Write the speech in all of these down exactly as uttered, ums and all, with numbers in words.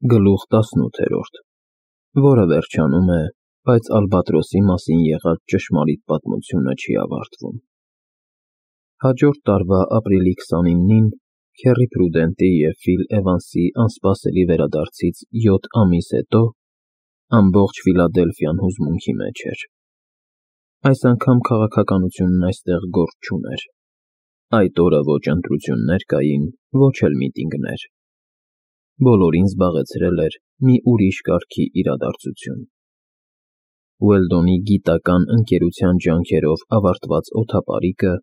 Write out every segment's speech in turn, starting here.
Գլուխ տասնութերորդ, որը վերջանում է, բայց Ալբատրոսի մասին եղած ճշմարիտ պատմությունը չի ավարտվում։ Հաջորդ տարվա ապրիլի քսանինին Քեռի Փրուդենտի և Ֆիլ Էվանսի անսպասելի վերադարձից յոթ ամիս հետո ամբողջ Ֆիլադելֆիան հուզմունքի մեջ էր։ Այս անգամ քաղաքականությունն այստեղ գործ չուներ։ Այդ օրը ոչ ընտրություններ կային, ոչ էլ միտինգներ։ Բոլորին զբաղեցրել էր մի ուրիշ կարգի իրադարձություն։ Ուելդոնի գիտական ընկերության ջանքերով ավարտված օդապարիկը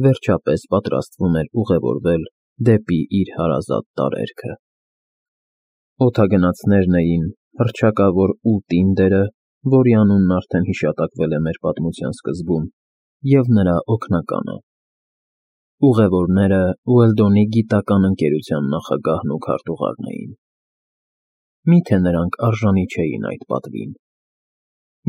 վերջապես պատրաստվում էր ուղևորվել դեպի իր հարազատ տարերքը։ Օդագնացներն էին հռչակավոր Ուլտինդերը, որի անունն արդեն հիշատակվել է մեր պատմության սկզբում, և նրա օգնականը։ Ուղևորները Ուելդոնի գիտական ընկերության նախագահն ու քարտուղարն էին։ Մի՞թե նրանք արժանի չէին այդ պատվին։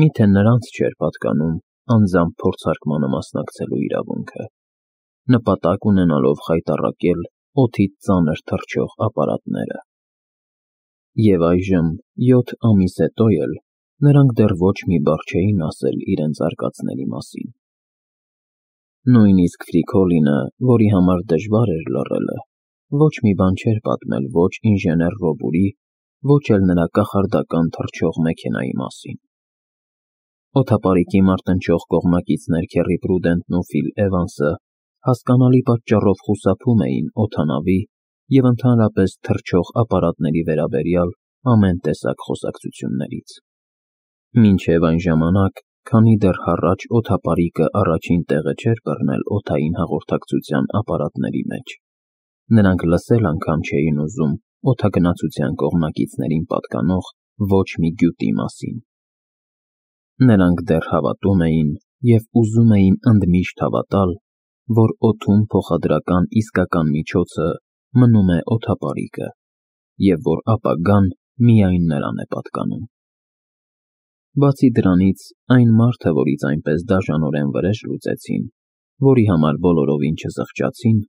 Մի՞թե նրանց չէր պատկանում անձամբ փորձարկմանը մասնակցելու իրավունքը, նպատակ ունենալով խայտառակել օդից ծանր թռչող ապարատները։ Եվ այժմ, յոթ ամիս հետո էլ, նրանք դեռ ոչ մի բառ չէին ասել իրենց արկածների մասին։ Նույնիսկ Ֆրիկոլինը, որի համար դժվար էր լռելը, ոչ մի բան չէր պատմել ոչ ինժեներ Ռոբուրի, ոչ էլ նրա կախարդական թռչող մեքենայի մասին։ Օդապարիկի մարտնչող կողմնակիցներ Քեռի Փրուդենտն ու Ֆիլ Էվանսը հասկանալի պատճառով խուսափում էին օդանավի և ընդհանրապես թռչող ապարատների վերաբերյալ ամեն տեսակ խոսակցություններից։ Մինչև այն ժամանակ, քանի դեռ հառաջ օդապարիկը առաջին տեղը չէր բռնել օդային հաղորդակցության ապարատների մեջ, նրանք լսել անգամ չէին ուզում օդագնացության կողմնակիցներին պատկանող ոչ մի գյուտի մասին։ Նրանք դեռ հավատում էին և ուզում էին ընդմիշտ հավատալ, որ օդում փոխադրական իսկական միջոցը մնում է օդապարիկը, և որ ապագան միայն նրան է պատկանում։ Բացի դրանից, այն մարդը, որից այնպես դաժանորեն վրեժ լուծեցին, որի համար բոլորովին չզղջացին,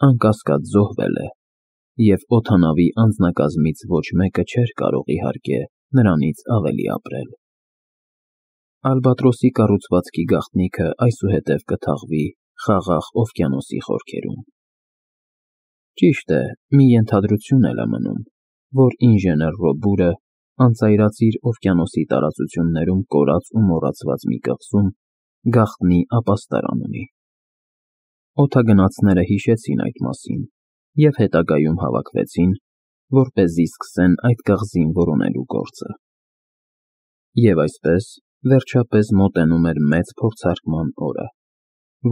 անկասկած զոհվել է, և օդանավի անձնակազմից ոչ մեկը չէր կարող իհարկե նրանից ավելի ապրել։ Ալբատրոսի կառուցվածքի գաղտնիքը այսուհետև կթաղվի խաղաղ օվկիանոսի խորքերում։ Ճիշտ է, մի ենթադրություն էլ է մնում, որ ինժեներ Ռոբուրը անծայրածիր օվկիանոսի տարածություններում կորած ու մոռացված մի կղզում գաղտնի ապաստարան ունի։ Օդագնացները հիշեցին այդ մասին և հետագայում հավաքվեցին, որպեսզի սկսեն այդ կղզին որոնելու գործը։ Եվ այսպես, վերջապես մոտենում էր մեծ փորձարկման օրը,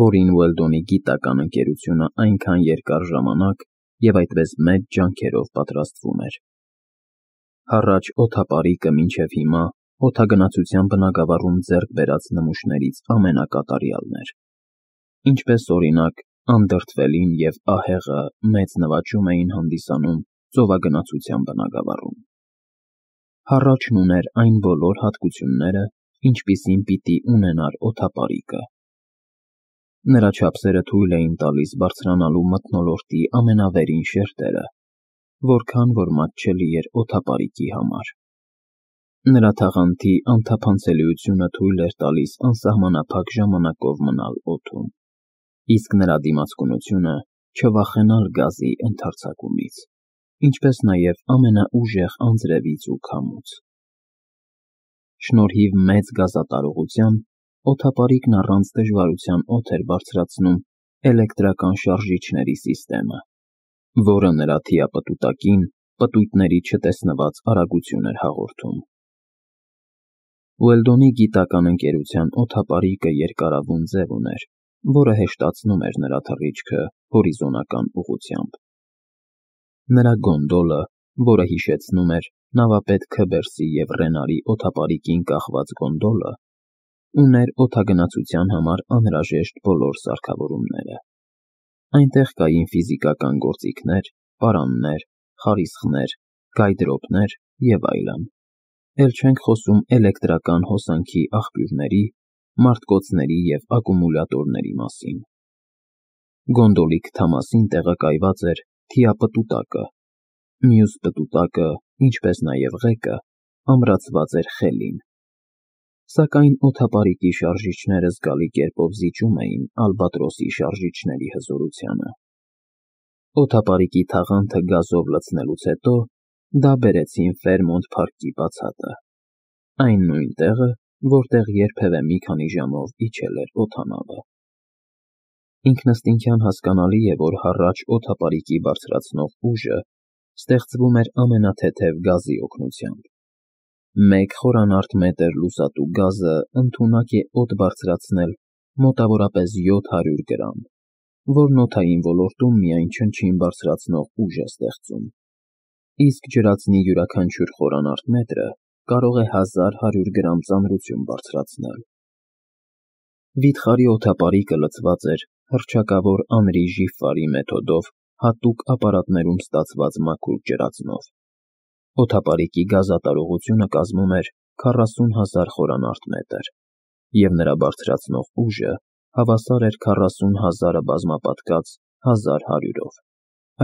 որին Ուելդոնի գիտական ընկերությունը այնքան երկար ժամանակ և այդպես մեծ ջանքերով պատրաստվում էր։ Հառաջ օդապարիկը մինչև հիմա օդագնացության բնագավառում ձեռք բերած նմուշներից ամենակատարյալն էր։ Ինչպես օրինակ, անդրդվելին և ահեղը մեծ նվաճում էին հանդիսանում ծովագնացության բնագավառում։ Հառաչն ուներ այն բոլոր հատկությունները, ինչպիսին պիտի ունենար օդապարիկը։ Նրա չափսերը թույլ էին տալիս բարձրանալու մթնոլորտի ամենավերին շերտերը, որքան որ մատչելի էր օդապարիկի համար։ Նրա թաղանթի անթափանցելիությունը թույլ էր տալիս անսահմանափակ ժամանակով մնալ օդում, իսկ նրա դիմացկունությունը չվախենալ գազի ընդարձակումից, ինչպես նաև ամենաուժեղ անձրևից ու քամուց։ Շնորհիվ մեծ գազատարողության, օդապարիկն առանց դժվարության օդ էր բարձրացնում էլեկտրական շարժիչների սիստեմը, որը նրա թիապտուտակին պտույտների չտեսնված արագություն էր հաղորդում։ Ուելդոնի գիտական ընկերության օդապարիկը երկարավուն ձև ուներ, որը հեշտացնում էր նրա թռիչքը հորիզոնական ուղղությամբ։ Նրա գոնդոլը, որը հիշեցնում էր նավապետ Քըբերսի և Ռենարի օդապարիկին կախված գոնդոլը, ուներ օդագնացության համար անհրաժեշտ բոլոր սարքավորումները։ Այնտեղ կային ֆիզիկական գործիքներ, պարաններ, խարիսխներ, գայդրոպներ և այլն, էլ չենք խոսում էլեկտրական հոսանքի աղբյուրների, մարտկոցների և ակումուլյատորների մասին։ Գոնդոլի քթամասին տեղակայված էր թիապտուտակը, մյուս պտուտակը ինչպես նաև ղեկը, ամրացված էր խելին։ Սակայն օդապարիկի շարժիչները զգալի կերպով զիջում էին ալբատրոսի շարժիչների հզորությանը։ Օդապարիկի թաղանթը գազով լցնելուց հետո դա բերեցին Ֆերմոնտ Փարքի բացատը, այն նույն տեղը, որտեղ երբևէ մի քանի ժամով իջել էր օդանավը։ Ինքնըստինքյան հասկանալի է, որ հառաչ օդապարիկի բարձրացնող ուժը ստեղծվում էր ամենաթեթև գազի օգնությամբ։ Մեկ խորանարդ մետր լուսատու գազը ընդունակ է օդ բարձրացնել մոտավորապես յոթ հարյուր գրամ, որն օդային ոլորտում միայն չնչին բարձրացնող ուժ է ստեղծում, իսկ ջրածնի յուրաքանչյուր խորանարդ մետրը կարող է հազար հարյուր գրամ ծանրություն բարձրացնել։ Վիթխարի օդապարիկը լցված էր հռչակավոր Անրի Ժիֆարի մեթոդով հատուկ ապարատներում ստացված մաքուր ջրածնով։ Օդապարիկի գազատարողությունը կազմում էր քառասուն հազար խորանարդ մետր, և նրա բարձրացնող ուժը հավասար էր քառասուն հազարը բազմապատկած հազար հարյուրով,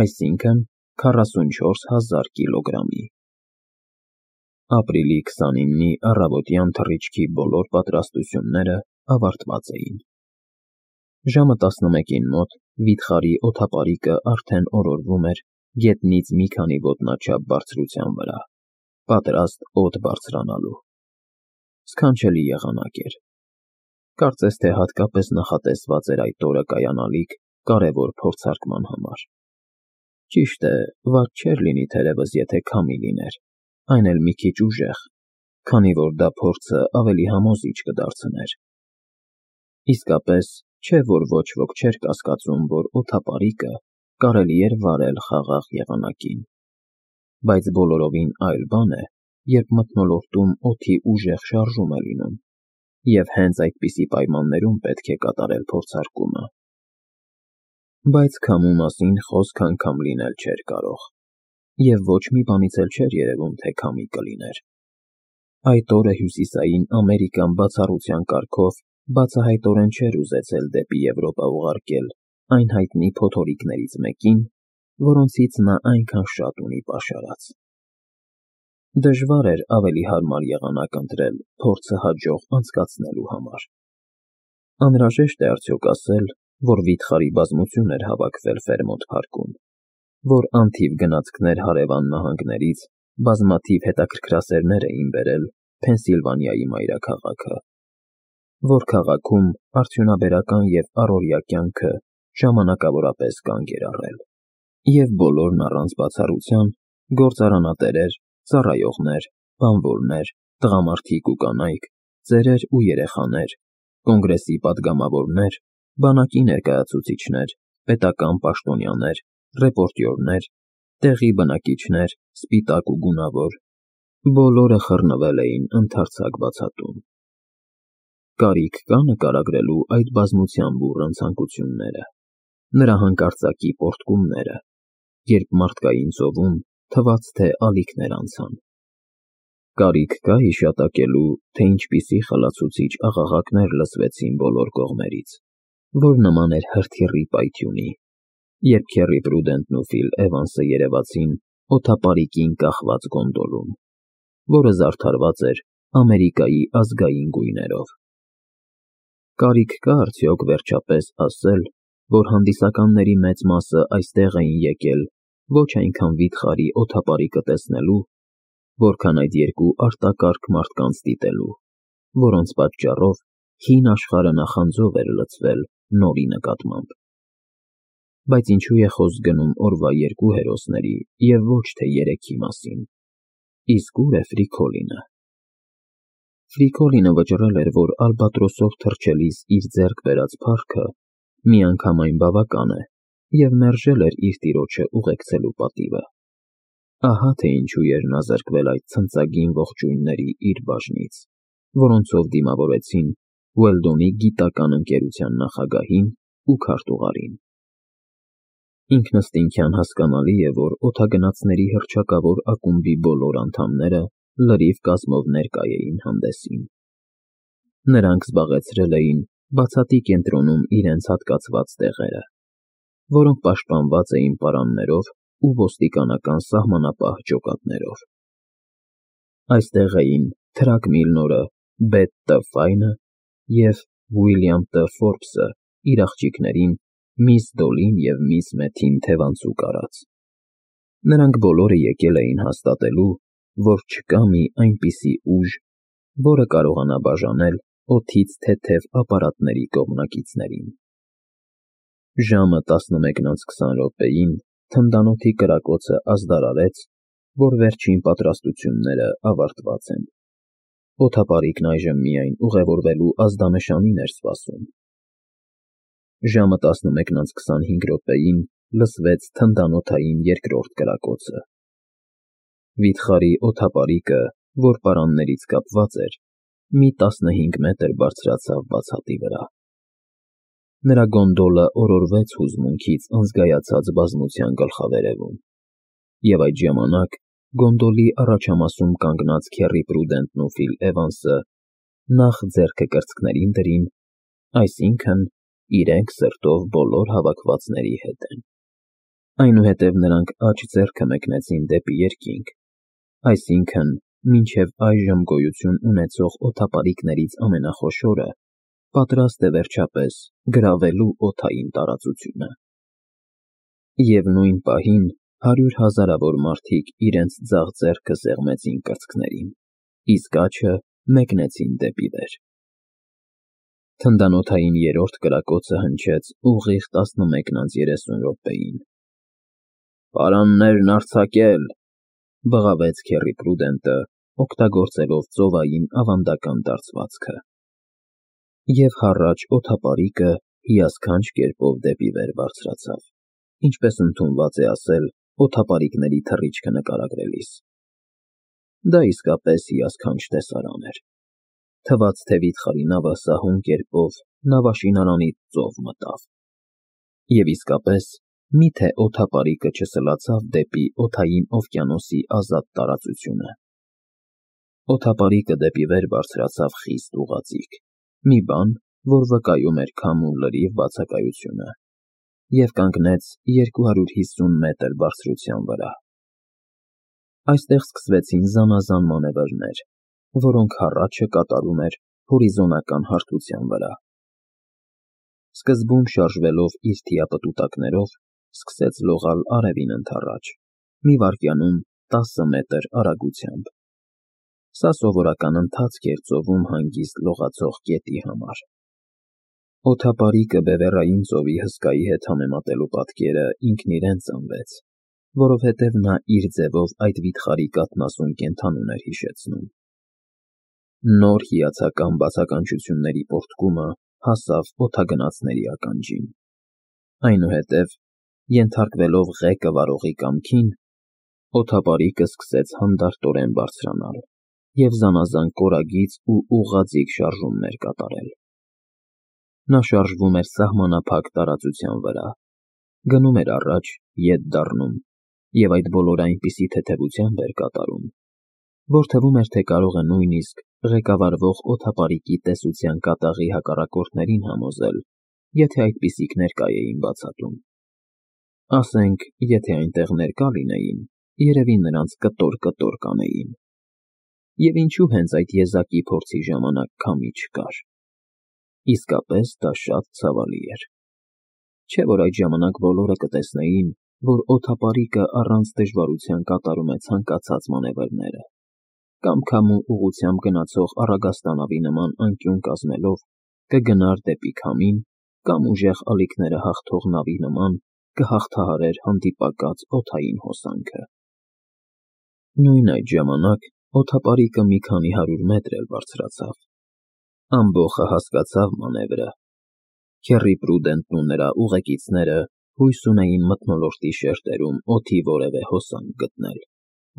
այսինքն քառասուն չորս հազար կիլոգրամի։ Ապրիլի քսանինի առավոտյան թռիչքի բոլոր պատրաստությունները ավարտված էին։ Ժամը տասնմեկին մոտ վիթխարի օդապարիկը արդեն օրորվում էր գետնից մի քանի ոտնաչափ բարձրության վրա, պատրաստ օդ բարձրանալու։ Սքանչելի եղանակ էր։ Կարծես թե հատկապես նախատեսված էր այդ օրը կայանալիք կարևոր փորձարկման համար։ Ճիշտ է, վատ չէր լինի թերևս, եթե քամի լիներ, այն էլ մի քիչ ուժեղ, քանի որ դա փորձը ավելի համոզիչ կդարձներ։ Իսկապես, չէ՞ որ ոչ ոք չէր կասկածում, որ օդապարիկը կարելի էր վարել խաղաղ եղանակին։ Բայց բոլորովին այլ բան է, երբ մթնոլորտում օդի ուժեղ շարժում է լինում, և հենց այդպիսի պայմաններում պետք է կատարել փորձարկումը։ Բայց քամու մասին խոսք անգամ լինել չէր կարող, և ոչ մի բանից էլ չէր երևում, թե քամի կլիներ։ Այդ օրը Հյուսիսային Ամերիկան բացառության կարգով բացահայտորեն չէր ուզեցել դեպի Եվրոպա ուղարկել այն հայտնի փոթորիկներից մեկին, որոնցից նա այնքան շատ ունի պաշարած։ Դժվար էր ավելի հարմար եղանակ ընտրել փորձը հաջող անցկացնելու համար։ Անհրաժեշտ է արդյոք ասել, որ վիթխարի բազմություն էր հավաքվել Ֆերմոնտ Փարքում, որ անթիվ գնացքներ հարևան նահանգներից բազմաթիվ հետաքրքրասերներ էին բերել Փենսիլվանիայի մայրաքաղաքը, որ քաղաքում արդյունաբերական և առօրյա կյանքը ժամանակավորապես կանգ էր առել, և բոլորն առանց բացառության գործարանատերեր, ծառայողներ, բանվորներ, տղամարդիկ ու կանայք, ծերեր ու երեխաներ, կոնգրեսի պատգամավորներ, բանակի ներկայացուցիչներ, պետական պաշտոնյաներ, ռեպորտյորներ, տեղի բնակիչներ, սպիտակ ու գունավոր, բոլորը խռնվել էին ընդարձակ բացատում։ Կարիք կա՞ նկարագրելու այդ բազմության բուռն ցանկությունները, նրա հանկարծակի պոռթկումները, երբ մարդկային ծովում թվաց, թե ալիքներ անցան։ Կարիք կա՞ հիշատակելու, թե ինչպիսի խլացուցիչ աղաղակներ լսվեցին բոլոր կողմերից, որ նման էր հրթիռի պայթյունի, երբ Քեռի Պրուդենտն ու Ֆիլ Էվանսը երևացին օդապարիկին կախված գոնդոլում, որը զարդարված էր Ամերիկայի ազգային գույներով։ Կարիք կա՞ արդյոք վերջապես ասել, որ հանդիսականների մեծ մասը այստեղ էին եկել ոչ այնքան վիթխարի օդապարիկը տեսնելու, որքան այդ երկու արտակարգ մարդկանց դիտելու, որոնց պատճառով հին աշխարհը նախանձով էր լցվել նորի նկատմամբ։ Բայց ինչու է խոսք գնում օրվա երկու հերոսների և ոչ թե երեքի մասին։ Իսկ ո՞ւր է Ֆրիկոլինը։ Ֆրիկոլինը վճռել էր, որ ալբատրոսով թռչելիս իր ձեռք բերած փառքը միանգամայն բավական է, և մերժել էր իր տիրոջը ուղեկցելու պատիվը։ Ահա թե ինչու էր նա զրկվել այդ ցնծագին ողջույնների իր բաժնից, որոնցով դիմավորեցին Ուելդոնի գիտական ընկերության նախագահին ու քարտուղարին։ Ինքնըստինքյան հասկանալի է, որ օդագնացների հռչակավոր ակումբի բոլոր անդամները լրիվ կազմով ներկա էին հանդեսին։ Նրանք զբաղեցրել էին բացատի կենտրոնում իրենց հատկացված տեղերը, որոնք պաշտպանված էին պարաններով ու ոստիկանական սահմանապահ ջոկատներով։ Այստեղ էին Թրակ Միլնորը, Բեթ Տը Ֆայնը և Ուիլյամ Տը Ֆորբսը իր աղջիկներին՝ միս Դոլլին և միս Մեթին թևանցուկ արած։ Նրանք բոլորը եկել էին հաստատելու, որ չկա մի այնպիսի ուժ, որը կարողանա բաժանել օդից թեթև ապարատների կողմնակիցներին։ Ժամը տասնմեկն անց քսան րոպեին թնդանոթի կրակոցը ազդարարեց, որ վերջին պատրաստությունները ավարտված են։ Օդապարիկն այժմ միայն ուղևորվելու ազդանշանին էր սպասում։ Ժամը տասնմեկն անց քսանհինգ րոպեին լսվեց թնդանոթային երկրորդ կրակոցը։ Վիթխարի օդապարիկը, որ պարաններից կապված էր, մի տասնհինգ մետր բարձրացավ բացատի վրա։ Նրա գոնդոլը օրորվեց հուզմունքից անզգայացած բազմության գլխավերևում, և այդ ժամանակ գոնդոլի առաջամասում կանգնած Քեռի Պրուդենտն ու Ֆիլ Էվանսը նախ ձեռքը կրծքներին դրին, այսինքն՝ իրենք սրտով բոլոր հավաքվածների հետ են։ Այնուհետև նրանք աջ ձեռքը մեկնեցին դեպի երկինք, այսինքն՝ մինչև այժմ գոյություն ունեցող օդապարիկներից ամենախոշորը, պատրաստ է վերջապես գրավելու օդային տարածությունը։ Եվ նույն պահին հարյուր հազարավոր մարդիկ իրենց ձախ ձեռքը սեղմեցին կրծքներին, իսկ աջը մեկնեցին դեպի վեր։ Թնդանոթային երրորդ կրակոցը հնչեց ուղիղ տասնմեկն անց երեսուն րոպեին։ «Պարաններն արձակել», բղավեց Քեռի Պրուդենտը, օգտագործելով ծովային ավանդական դարձվածքը։ Եվ հառաչ օդապարիկը հիասքանչ կերպով դեպի վեր բարձրացավ, ինչպես ընդունված է ասել օդապարիկների թռիչքը նկարագրելիս։ Դա իսկապես հիասքանչ տեսարան էր։ Թվաց, թե վիթխարի նավը սահուն կերպով նավաշինարանից ծով մտավ։ Եվ իսկապես, մի՞թե օդապարիկը չսլացավ դեպի օդային օվկիանոսի ազատ տարածությունը։ Օդապարիկը դեպի վեր բարձրացավ խիստ ուղղաձիգ, մի բան, որ վկայում էր քամու լրիվ բացակայությունը, և կանգնեց երկու հարյուր հիսուն մետր բարձրության վրա։ Այստեղ սկսվեցին զանազան մանևրներ, որոնք հառաչը կատարում էր հորիզոնական հարթության վրա։ Սկզբում շարժվելով իր թիապտուտակներով, սկսեց լողալ արևին ընդառաջ, մի վայրկյանում տասը մետր արագությամբ։ Սա սովորական ընթացք էր ծովում հանգիստ լողացող կետի համար։ Օդապարիկը Բևեռային ծովի հսկայի հետ համեմատելու պատկերը ինքն իրեն ծնվեց, որովհետև նա իր ձևով այդ վիթխարի կաթնասուն կենդանուն էր հիշեցնում։ Նոր հիացական բացականչությունների պոռթկումը հասավ օդագնացների ականջին։ Այնուհետև, ենթարկվելով ղեկը վարողի կամքին, օդապարիկը սկսեց հանդարտորեն բարձրանալ և զանազան կորագիծ ու ուղղաձիգ շարժումներ կատարել։ Նա շարժվում էր սահմանափակ տարածության վրա, գնում էր առաջ, ետ դառնում, և այդ բոլորը այնպիսի թեթևությամբ էր կատարում, որ թվում էր, թե կարող է նույնիսկ ղեկավարվող օդապարիկի տեսության կատաղի հակառակորդներին համոզել, եթե այդպիսիք ներկա էին բացատում։ Ասենք, եթե այնտեղ ներկա լինեին, երևի նրանց կտոր-կտոր կանեին։ Եվ ինչու հենց այդ եզակի փորձի ժամանակ քամի չկար։ Իսկապես դա շատ ցավալի էր։ Չէ՞ որ այդ ժամանակ բոլորը կտեսնեին, որ օդապարիկը առանց դժվարության կատարում է ցանկացած մանևրները, կամ քամու ուղղությամբ գնացող առագաստանավի նման անկյուն կազմելով կգնար դեպի քամին, կամ ուժեղ ալիքները հաղթող նավի նման կհաղթահարեր հանդիպակաց օդային հոսանքը։ Նույն այդ ժամանակ օդապարիկը մի քանի հարյուր մետր էլ բարձրացավ։ Ամբոխը հասկացավ մանևրը։ Քեռի Պրուդենտն ու նրա ուղեկիցները հույս ունեին մթնոլորտի շերտերում օդի որևէ հոսանք գտնել,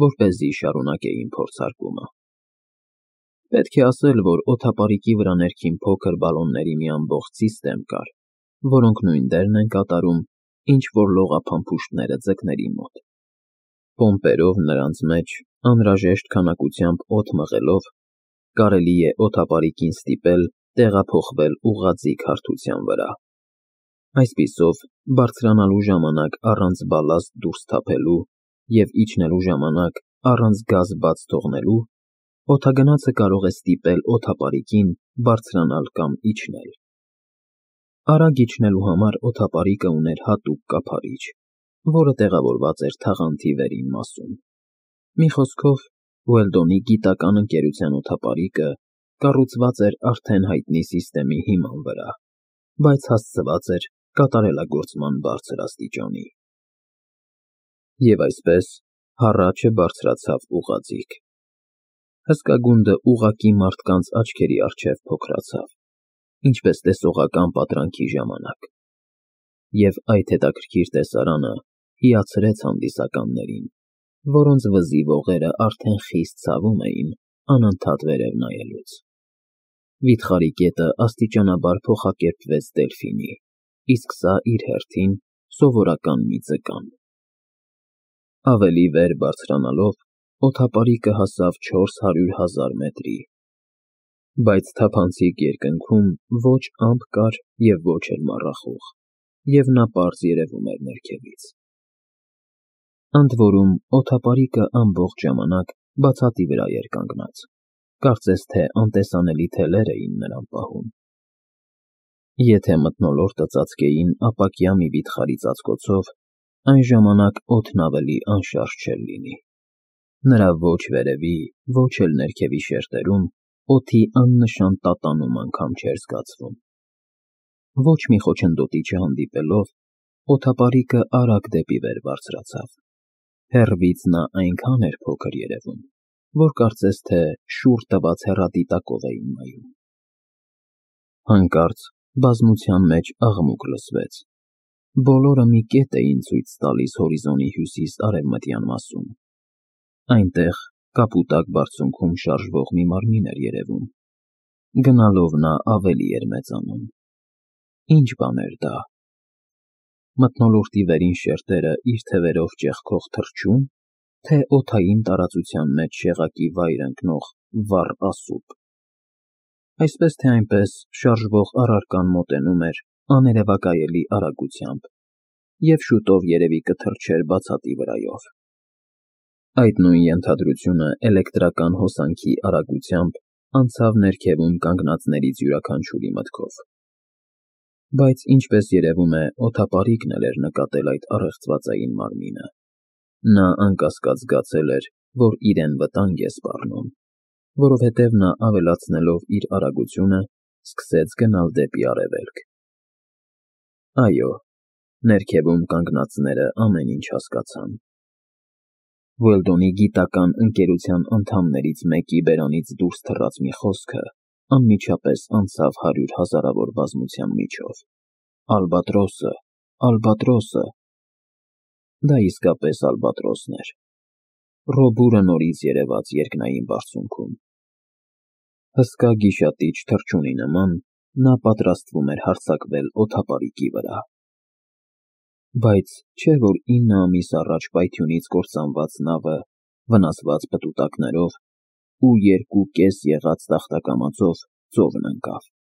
որպեսզի շարունակեին փորձարկումը։ Պետք է ասել, որ օդապարիկի վրա ներքին փոքր բալոնների մի ամբողջ սիստեմ կար, որոնք նույն դերն են կատարում, ինչ որ լողափամփուշտները ձկների մոտ։ Պոմպերով նրանց մեջ, անհրաժեշտ քանակությամբ օդ մղելով, կարելի է օդապարիկին ստիպել տեղափոխվել ուղղաձիգ հարթության վրա։ Այսպիսով, բարձրանալու ժամանակ առանց բալաստ դուրս թափելու և իջնելու ժամանակ առանց գազ բաց թողնելու, օդագնացը կարող է ստիպել օդապարիկին բարձրանալ կամ իջնել։ Արագ իջնելու համար օդապարիկը ուներ հատուկ կափարիչ, որը տեղավորված էր թաղանթի վերին մասում։ Մի խոսքով, Ուելդոնի գիտական ընկերության օդապարիկը կառուցված էր արդեն հայտնի սիստեմի հիման վրա, բայց հասցված էր կատարելագործման բարձր աստիճանի։ Եվ այսպես հառաչը բարձրացավ ուղղաձիգ։ Հսկա գունդը ուղղակի մարդկանց աչքերի առջև փոքրացավ, ինչպես տեսողական պատրանքի ժամանակ, և այդ հետաքրքիր տեսարանը հիացրեց հանդիսականներին, որոնց վզի ողերը արդեն խիստ ցավում էին անընդհատ վերև նայելուց։ Վիթխարի կետը աստիճանաբար փոխակերպվեց դելֆինի, իսկ սա իր հերթին սովորական մի ձկան։ Ավելի վեր բարձրանալով, օդապարիկը հասավ չորս հարյուր հազար մետրի, բայց թափանցիկ երկնքում ոչ ամպ կար և ոչ էլ մառախուղ, և նա պարզ երևում էր ներքևից։ Ընդ որում, օդապարիկը ամբողջ ժամանակ բացատի վրա էր կանգնած, կարծես թե անտեսանելի թելեր էին նրան պահում։ Եթե մթնոլորտը ծածկեին ապակյա մի վիթխարի ծածկոցով, այն ժամանակ օդն ավելի անշարժ չէր լինի։ Նրա ոչ վերևի, ոչ էլ ներքևի շերտերում օդի աննշան տատանում անգամ չէր զգացվում։ Ոչ մի խոչընդոտի չհանդիպելով, օդապարիկը արագ դեպի վեր բարձրացավ։ Հեռվից նա այնքան էր փոքր երևում, որ կարծես թե շուռ տված հեռադիտակով էին նայում։ Հանկարծ բազմության մեջ աղմուկ լսվեց։ Բոլորը մի կետ էին ցույց տալիս հորիզոնի հյուսիս֊արևմտյան մասում։ Այնտեղ, կապուտակ բարձունքում շարժվող մի մարմին էր երևում։ Գնալով նա ավելի էր մեծանում։ Ինչ բան էր դա։ Մթնոլորտի վերին շերտերը իր թևերով ճեղքող թռչո՞ւն, թե օդային տարածության մեջ շեղակի վայր ընկնող վառ ասուպ։ Այսպես թե այնպես, շարժվող առարկան մոտենում էր աներևակայելի արագությամբ, և շուտով երևի կթռչեր բացատի վրայով։ Այդ նույն ենթադրությունը էլեկտրական հոսանքի արագությամբ անցավ ներքևում կանգնածներից յուրաքանչյուրի մտքով։ Բայց ինչպես երևում է, օդապարիկն էլ էր նկատել այդ առեղծվածային մարմինը։ Նա անկասկած զգացել էր, որ իրեն վտանգ է սպառնում, որովհետև նա ավելացնելով իր արագությունը, սկսեց գնալ դեպի արևելք։ Այո, ներքևում կանգնածները ամեն ինչ հասկացան։ Ուելդոնի գիտական ընկերության անդամներից մեկի բերանից դուրս թռած մի խոսքը անմիջապես անցավ հարյուր հազարավոր բազմության միջով. «Ալբատրոսը, ալբատրոսը»։ Դա իսկապես ալբատրոսն էր։ Ռոբուրը նորից երևաց երկնային բարձունքում։ Հսկա գիշատիչ թռչունի նման նա պատրաստվում էր հարձակվել օդապարիկի վրա։ Բայց չէ՞ որ ինը ամիս առաջ պայթյունից կործանված նավը, վնասված պտուտակներով ու երկու կես եղած տախտակամածով ծովն ընկավ։